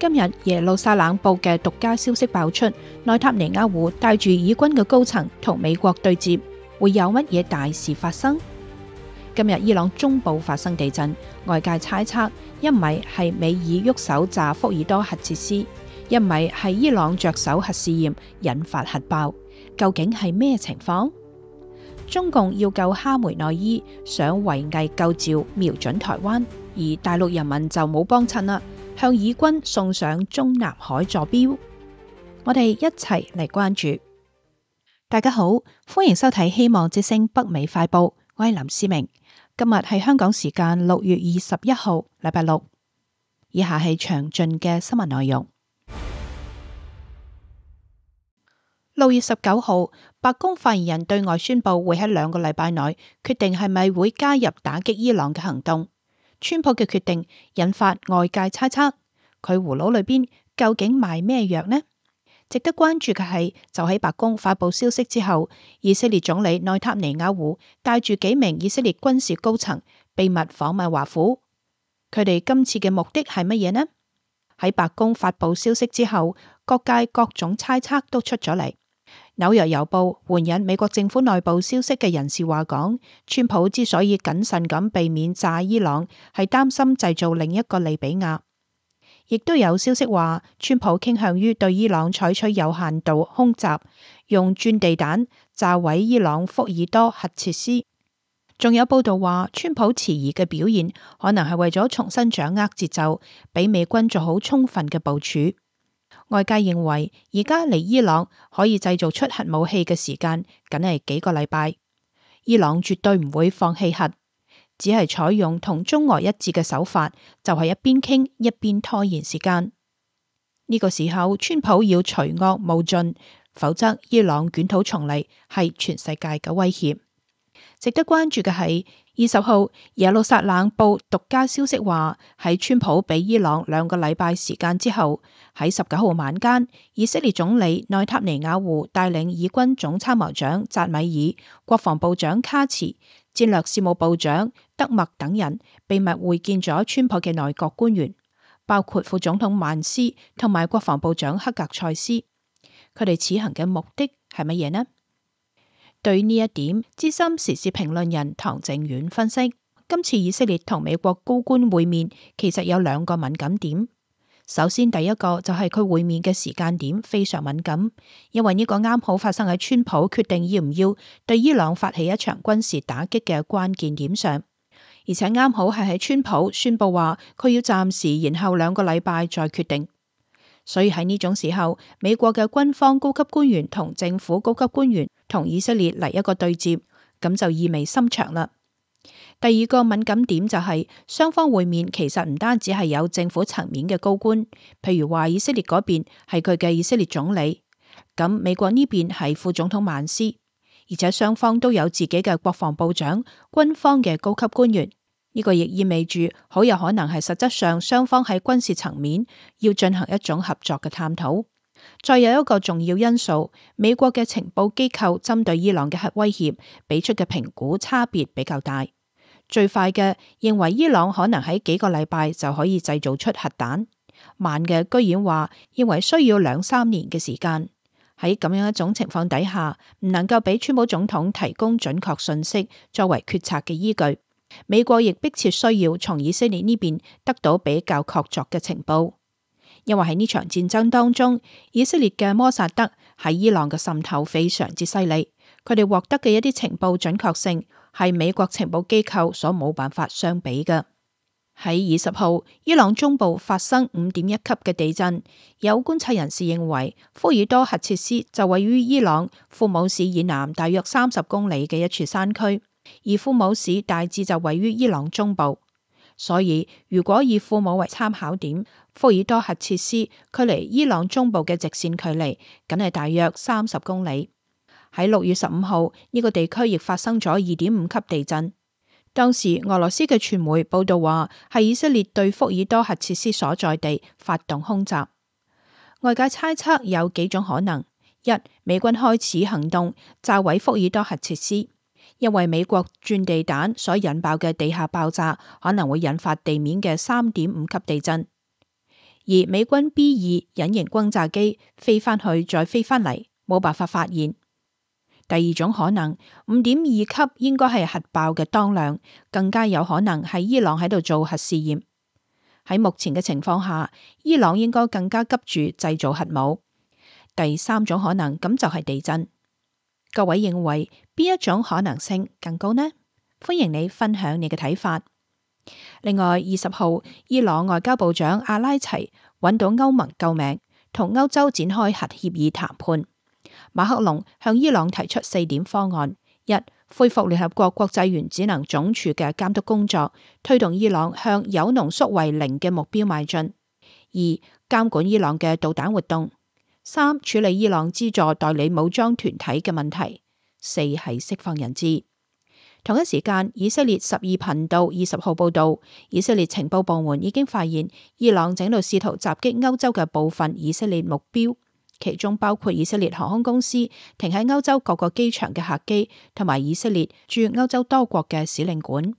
今日耶路撒冷報嘅獨家消息爆出，內塔尼亞胡帶住以軍嘅高層同美國對接，會有乜嘢大事發生？今日伊朗中部發生地震，外界猜測一咪係美爾喐手炸福爾多核設施，一咪係伊朗着手核試驗引發核爆，究竟係咩情況？中共要救哈梅內伊，想圍魏救趙，瞄準台灣，而大陸人民就冇幫襯啦，向以軍送上中南海坐標。我哋一齊嚟關注。大家好，歡迎收睇希望之聲北美快報，我係林思明。今日係香港時間6月21號，禮拜六。以下係詳盡嘅新聞內容。6月19號，白宮發言人對外宣佈會喺2個禮拜內決定係咪會加入打擊伊朗嘅行動。川普嘅決定引發外界猜測，佢葫蘆裏邊究竟賣咩藥呢？值得關注嘅係，就喺白宮發佈消息之後，以色列總理內塔尼亞胡帶住幾名以色列軍事高層秘密訪問華府。佢哋今次嘅目的係乜嘢呢？喺白宮發佈消息之後，各界各種猜測都出咗嚟。紐約郵報援引美國政府內部消息嘅人士話講，川普之所以謹慎咁避免炸伊朗，係擔心製造另一個利比亞。亦都有消息話，川普傾向於對伊朗採取有限度空襲，用鑽地彈炸毀伊朗福爾多核設施。仲有報道話，川普遲疑嘅表現可能係為咗重新掌握節奏，俾美軍做好充分嘅部署。外界認為，而家離伊朗可以製造出核武器嘅時間，僅係幾個禮拜。伊朗絕對唔會放棄核，只係採用同中俄一致嘅手法，就係一邊傾一邊拖延時間。呢個時候，川普要除惡務盡，否則伊朗捲土重嚟係全世界嘅威脅。值得關注嘅係20號耶路撒冷報獨家消息話，喺川普俾伊朗2個禮拜時間之後，喺19號晚間，以色列總理內塔尼亞胡帶領以軍總參謀長扎米爾、國防部長卡茨、戰略事務部長德默等人秘密會見咗川普嘅內閣官員，包括副總統曼斯同埋國防部長克格塞斯。佢哋此行嘅目的係乜嘢呢？對呢一點，資深時事評論人唐靖遠分析，今次以色列同美國高官會面，其實有2個敏感點。首先，第一個就係佢會面嘅時間點非常敏感，因為呢個啱好發生喺川普決定要唔要對伊朗發起一場軍事打擊嘅關鍵點上，而且啱好係喺川普宣布話佢要暫時延後2個禮拜再決定。所以喺呢種時候，美國嘅軍方高級官員同政府高級官員同以色列嚟一個對接，咁就意味深長啦。第二個敏感點就係雙方會面其實唔單止係有政府層面嘅高官，譬如話以色列嗰邊係佢嘅以色列總理，咁美國呢邊係副總統曼斯，而且雙方都有自己嘅國防部長、軍方嘅高級官員。呢個亦意味住好有可能係實質上雙方喺軍事層面要進行一種合作嘅探討。再有一個重要因素，美國嘅情報機構針對伊朗嘅核威脅俾出嘅評估差別比較大。最快嘅認為伊朗可能喺幾個禮拜就可以製造出核彈，慢嘅居然話認為需要2-3年嘅時間。喺咁樣一種情況底下，唔能夠俾川普總統提供準確信息作為決策嘅依據。美國亦迫切需要從以色列呢邊得到比較確鑿嘅情報，因為喺呢場戰爭當中，以色列嘅摩薩德喺伊朗嘅滲透非常之犀利，佢哋獲得嘅一啲情報準確性係美國情報機構所冇辦法相比嘅。喺20號，伊朗中部發生5.1級嘅地震，有觀察人士認為福爾多核設施就位於伊朗庫姆市以南大約30公里嘅一處山區。而庫姆市大致就位於伊朗中部，所以如果以庫姆為參考點，福爾多核設施距離伊朗中部嘅直線距離僅係大約30公里。喺6月15號，呢個地區亦發生咗2.5級地震，當時俄羅斯嘅傳媒報道話係以色列對福爾多核設施所在地發動空襲。外界猜測有幾種可能：一、美軍開始行動炸毀福爾多核設施，因為美國鑽地彈所引爆嘅地下爆炸可能會引發地面嘅3.5級地震；而美軍 B2 隱形轟炸機飛返去再飛返嚟，冇辦法發現。第二種可能，5.2級應該係核爆嘅當量，更加有可能係伊朗喺度做核試驗。喺目前嘅情況下，伊朗應該更加急住製造核武。第三種可能咁就係地震。各位認為邊一種可能性更高呢？歡迎你分享你嘅睇法。另外，20號，伊朗外交部長阿拉齊揾到歐盟救命，同歐洲展開核協議談判。馬克龍向伊朗提出4點方案：一、恢復聯合國國際原子能總署嘅監督工作，推動伊朗向鈾濃縮為0嘅目標邁進；二、監管伊朗嘅導彈活動；三、處理伊朗資助代理武裝團體嘅問題；四係釋放人質。同一時間，以色列12頻道20號報道，以色列情報部門已經發現伊朗正喺度試圖襲擊歐洲嘅部分以色列目標，其中包括以色列航空公司停喺歐洲各個機場嘅客機，同埋以色列駐歐洲多國嘅使領館。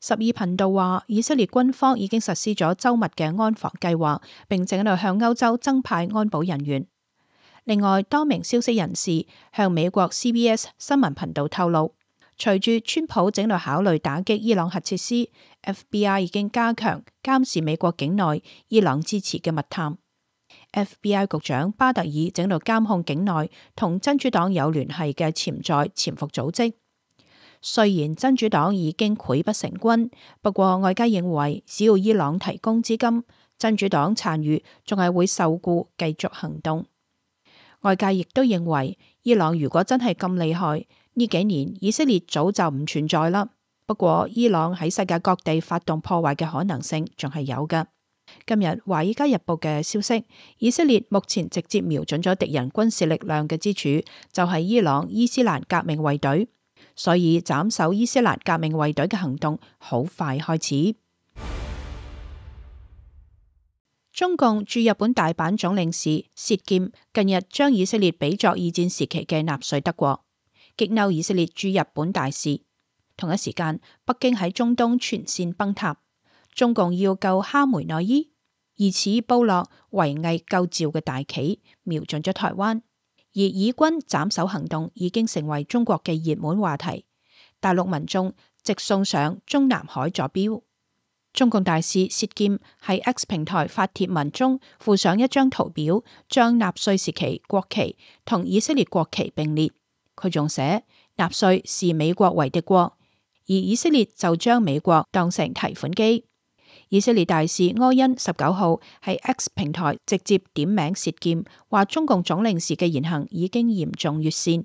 12頻道話，以色列軍方已經實施咗周密嘅安防計劃，並正喺度向歐洲增派安保人員。另外，多名消息人士向美國 CBS 新聞頻道透露，隨住川普正喺度考慮打擊伊朗核設施， FBI 已經加強監視美國境內伊朗支持嘅密探。FBI 局長巴特爾正喺度監控境內同真主黨有聯繫嘅潛在潛伏組織。雖然真主黨已經潰不成軍，不過外界認為只要伊朗提供資金，真主黨殘餘仲係會受僱繼續行動。外界亦都認為，伊朗如果真係咁厲害，呢幾年以色列早就唔存在啦。不過伊朗喺世界各地發動破壞嘅可能性仲係有㗎。今日《華爾街日報》嘅消息，以色列目前直接瞄準咗敵人軍事力量嘅支柱，就係伊朗伊斯蘭革命衛隊，所以斬首伊斯蘭革命衛隊嘅行動好快開始。中共駐日本大阪總領事薛劍近日將以色列比作二戰時期嘅納粹德國，激嬲以色列駐日本大使。同一時間，北京喺中東全線崩塌，中共要救哈梅內伊，疑似部落圍魏救趙嘅大旗，瞄準咗台灣。而以軍斬首行動已經成為中國嘅熱門話題，大陸民眾直送上中南海坐標。中共大使薛劍喺 X 平台發帖文中附上一張圖表，將納粹時期國旗同以色列國旗並列。佢仲寫納粹視美國為敵國，而以色列就將美國當成提款機。以色列大使柯恩19號喺 X 平台直接點名薛劍，話中共總領事嘅言行已經嚴重越線。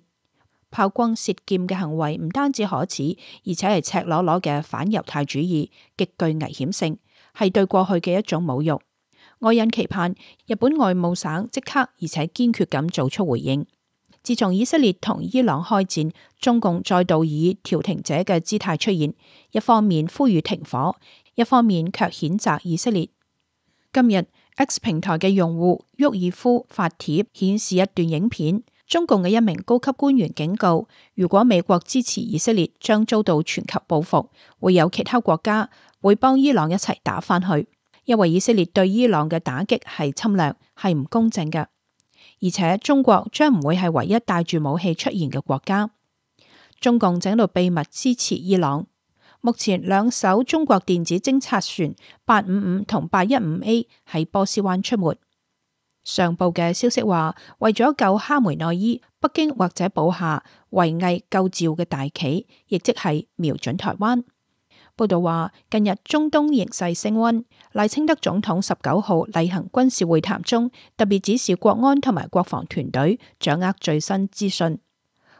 炮轟薛劍嘅行為唔單止可恥，而且係赤裸裸嘅反猶太主義，極具危險性，係對過去嘅一種侮辱。柯恩期盼日本外務省即刻而且堅決咁做出回應。自從以色列同伊朗開戰，中共再度以調停者嘅姿態出現，一方面呼籲停火，一方面卻譴責以色列。今日 X 平台嘅用戶沃爾夫發帖顯示一段影片。中共嘅一名高級官員警告，如果美國支持以色列，將遭到全球報復，會有其他國家會幫伊朗一齊打返去，因為以色列對伊朗嘅打擊係侵略，係唔公正嘅，而且中國將唔會係唯一帶住武器出現嘅國家。中共正喺度秘密支持伊朗。目前2艘中國電子偵察船855同815A 喺波斯灣出沒。上報嘅消息話，為咗救哈梅內伊，北京或者補下圍魏救趙嘅大旗，亦即係瞄準台灣。報道話，近日中東形勢升溫，賴清德總統19號例行軍事會談中，特別指示國安同埋國防團隊掌握最新資訊。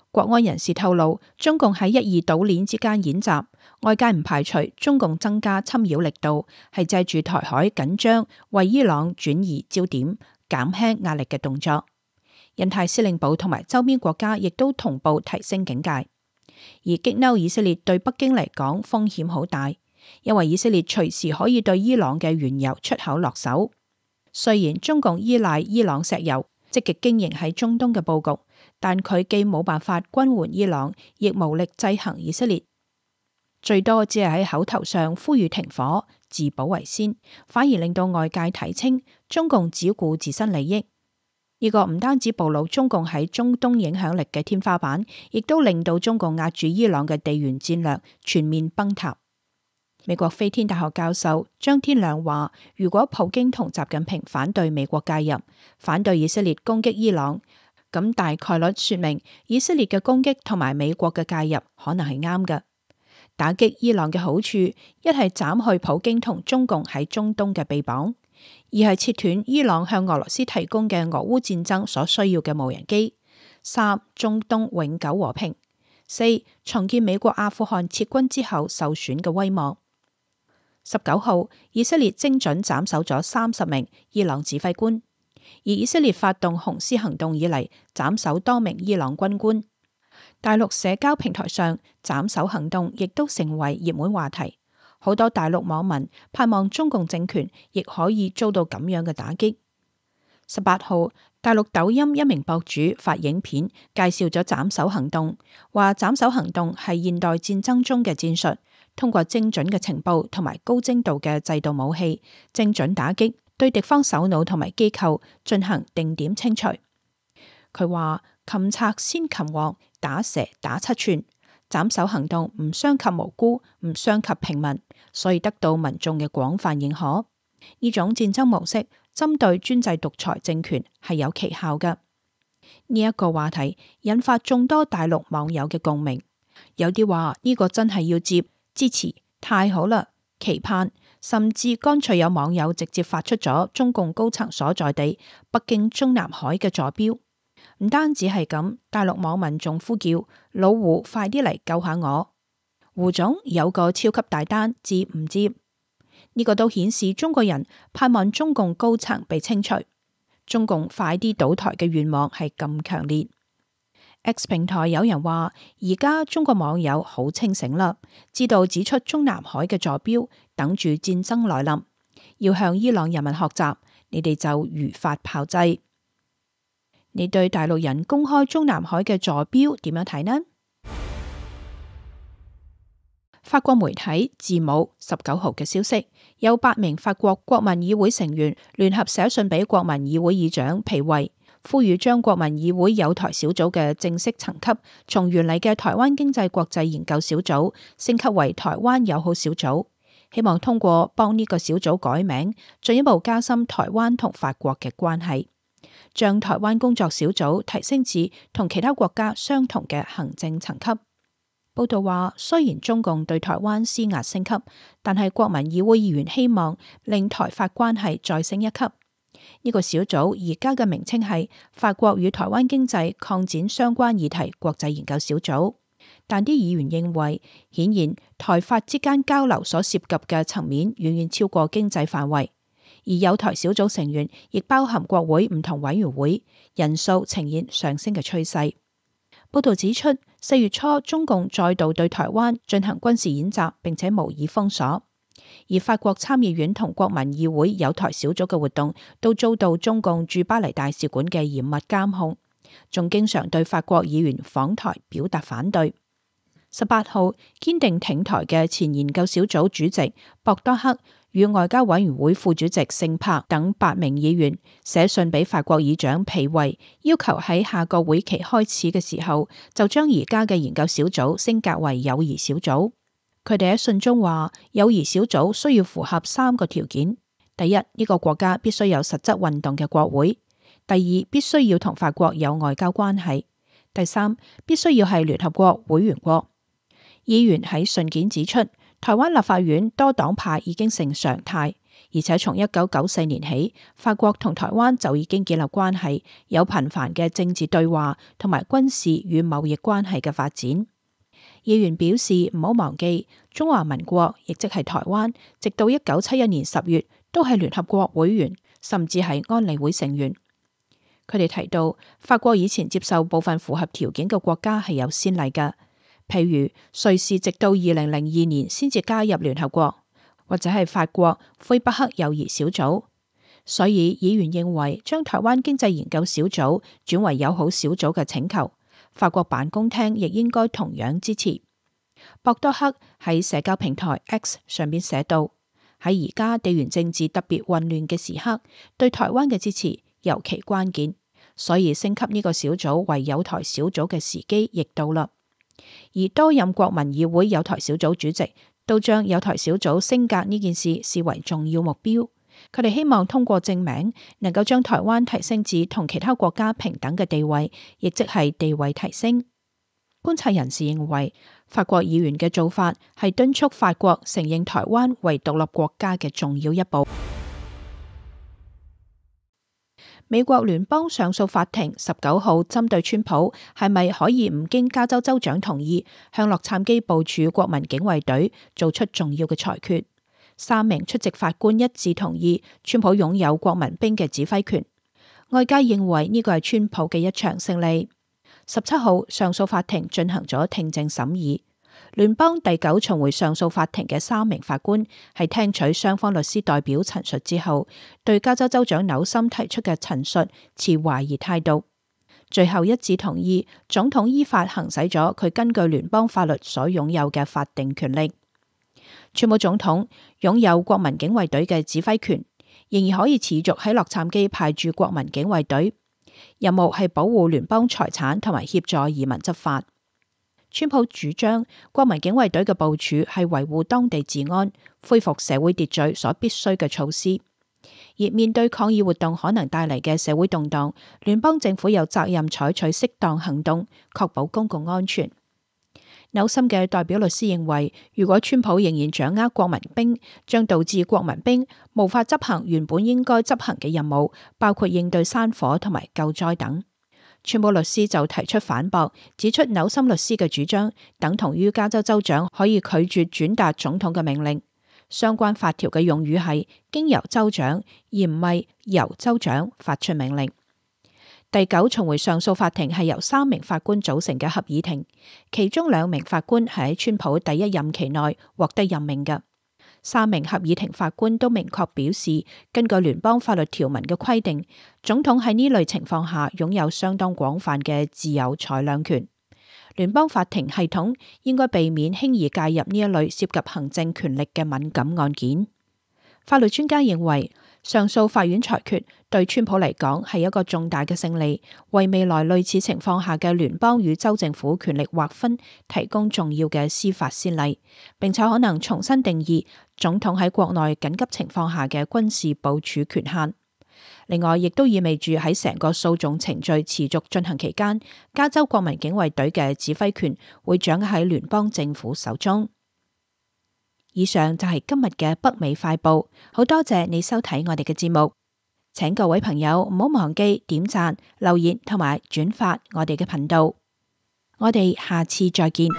國安人士透露，中共喺1、2島鏈之間演習，外界唔排除中共增加侵擾力度，係借住台海緊張為伊朗轉移焦點，減輕壓力嘅動作。印太司令部同埋周邊國家亦都同步提升警戒，而激嬲以色列對北京嚟講風險好大，因為以色列隨時可以對伊朗嘅原油出口落手。雖然中共依賴伊朗石油，積極經營喺中東嘅佈局，但佢既冇辦法軍援伊朗，亦無力制衡以色列。最多只係喺口頭上呼籲停火，自保為先，反而令到外界睇清中共只顧自身利益。呢個唔單止暴露中共喺中東影響力嘅天花板，亦都令到中共壓住伊朗嘅地緣戰略全面崩塌。美國飛天大學教授張天亮話，如果普京同習近平反對美國介入，反對以色列攻擊伊朗，咁大概率說明以色列嘅攻擊同埋美國嘅介入可能係啱嘅。打擊伊朗嘅好處，一係斬去普京同中共喺中東嘅臂膀，二係切斷伊朗向俄羅斯提供嘅俄烏戰爭所需要嘅無人機，三中東永久和平，四重建美國阿富汗撤軍之後受損嘅威望。19號，以色列精準斬首咗30名伊朗指揮官，而以色列發動紅絲行動以嚟，斬首多名伊朗軍官。大陸社交平台上斬首行動亦都成為熱門話題，好多大陸網民盼望中共政權亦可以遭到咁樣嘅打擊。18號，大陸抖音一名博主發影片介紹咗斬首行動，話斬首行動係現代戰爭中嘅戰術，通過精準嘅情報同埋高精度嘅制導武器，精準打擊，對敵方首腦同埋機構進行定點清除。佢話擒賊先擒王，打蛇打七寸，斬首行動唔傷及無辜，唔傷及平民，所以得到民眾嘅廣泛認可。呢種戰爭模式針對專制獨裁政權係有奇效嘅。呢一個話題引發眾多大陸網友嘅共鳴，有啲話呢個真係要接，支持，太好啦，期盼，甚至乾脆有網友直接發出咗中共高層所在地北京中南海嘅坐標。唔單止係咁，大陸網民仲呼叫老胡快啲嚟救下我，胡總有個超級大單，接唔接？呢個都顯示中國人盼望中共高層被清除，中共快啲倒台嘅願望係咁強烈。X 平台有人話，而家中國網友好清醒啦，知道指出中南海嘅坐標，等住戰爭來臨，要向伊朗人民學習，你哋就如法炮製。你對大陸人公開中南海嘅坐標點樣睇呢？法國媒體字母19號嘅消息，有8名法國國民議會成員聯合寫信俾國民議會議長皮維，呼籲將國民議會友台小組嘅正式層級從原嚟嘅台灣經濟國際研究小組升級為台灣友好小組，希望通過幫呢個小組改名，進一步加深台灣同法國嘅關係，將台灣工作小組提升至同其他國家相同嘅行政層級。報道話，雖然中共對台灣施壓升級，但係國民議會議員希望令台法關係再升一級。呢個小組而家嘅名稱係法國與台灣經濟擴展相關議題國際研究小組，但啲議員認為，顯然台法之間交流所涉及嘅層面遠遠超過經濟範圍，而友台小組成員亦包含國會唔同委員會，人數呈現上升嘅趨勢。報道指出，4月初中共再度對台灣進行軍事演習，並且無意封鎖，而法國參議院同國民議會友台小組嘅活動都遭到中共駐巴黎大使館嘅嚴密監控，仲經常對法國議員訪台表達反對。18號，堅定挺台嘅前研究小組主席博多克與外交委員會副主席聖柏等8名議員寫信俾法國議長皮維，要求喺下個會期開始嘅時候就將而家嘅研究小組升格為友誼小組。佢哋喺信中話，友誼小組需要符合3個條件：第一，呢個國家必須有實質運動嘅國會；第二，必須要同法國有外交關係；第三，必須要係聯合國會員國。議員喺信件指出，台灣立法院多黨派已經成常態，而且從1994年起，法國同台灣就已經建立關係，有頻繁嘅政治對話同埋軍事與貿易關係嘅發展。議員表示唔好忘記，中華民國亦即係台灣，直到1971年10月都係聯合國會員，甚至係安理會成員。佢哋提到，法國以前接受部分符合條件嘅國家係有先例㗎。譬如瑞士直到2002年先至加入聯合國，或者係法國魁北克友誼小組。所以議員認為將台灣經濟研究小組轉為友好小組嘅請求，法國辦公廳亦應該同樣支持。博多克喺社交平台 X 上邊寫道：喺而家地緣政治特別混亂嘅時刻，對台灣嘅支持尤其關鍵，所以升級呢個小組為友台小組嘅時機亦到啦。而多任國民議會友台小組主席都將友台小組升格呢件事視為重要目標。佢哋希望通過正名，能夠將台灣提升至同其他國家平等嘅地位，亦即係地位提升。觀察人士認為，法國議員嘅做法係敦促法國承認台灣為獨立國家嘅重要一步。美國聯邦上訴法庭19號針對川普係咪可以唔經加州州長同意，向洛杉磯部署國民警衛隊做出重要嘅裁決。3名出席法官一致同意川普擁有國民兵嘅指揮權。外界認為呢個係川普嘅一場勝利。17號上訴法庭進行咗聽證審議。聯邦第9巡迴上訴法庭嘅3名法官喺聽取雙方律師代表陳述之後，對加州州長紐森提出嘅陳述持懷疑態度。最後一致同意總統依法行使咗佢根據聯邦法律所擁有嘅法定權力。川普總統擁有國民警衛隊嘅指揮權，仍然可以持續喺洛杉磯派駐國民警衛隊，任務係保護聯邦財產同埋協助移民執法。川普主張國民警衛隊嘅部署係維護當地治安、恢復社會秩序所必須嘅措施，而面對抗議活動可能帶嚟嘅社會動盪，聯邦政府有責任採取適當行動，確保公共安全。紐森嘅代表律師認為，如果川普仍然掌握國民兵，將導致國民兵無法執行原本應該執行嘅任務，包括應對山火同埋救災等。川普律師就提出反駁，指出紐森律師嘅主張等同於加州州長可以拒絕轉達總統嘅命令。相關法條嘅用語係經由州長，而唔係由州長發出命令。第9巡迴上訴法庭係由3名法官組成嘅合議庭，其中2名法官係喺川普第一任期內獲得任命嘅。3名合議庭法官都明確表示，根據聯邦法律條文嘅規定，總統喺呢類情況下擁有相當廣泛嘅自由裁量權。聯邦法庭系統應該避免輕易介入呢一類涉及行政權力嘅敏感案件。法律專家認為，上訴法院裁決對川普嚟講係一個重大嘅勝利，為未來類似情況下嘅聯邦與州政府權力劃分提供重要嘅司法先例，並且可能重新定義總統喺國內緊急情況下嘅軍事部署權限。另外，亦都意味住喺成個訴訟程序持續進行期間，加州國民警衛隊嘅指揮權會掌握喺聯邦政府手中。以上就係今日嘅北美快報，好多謝你收睇我哋嘅節目，請各位朋友唔好忘記點讚、留言同埋轉發我哋嘅頻道，我哋下次再見。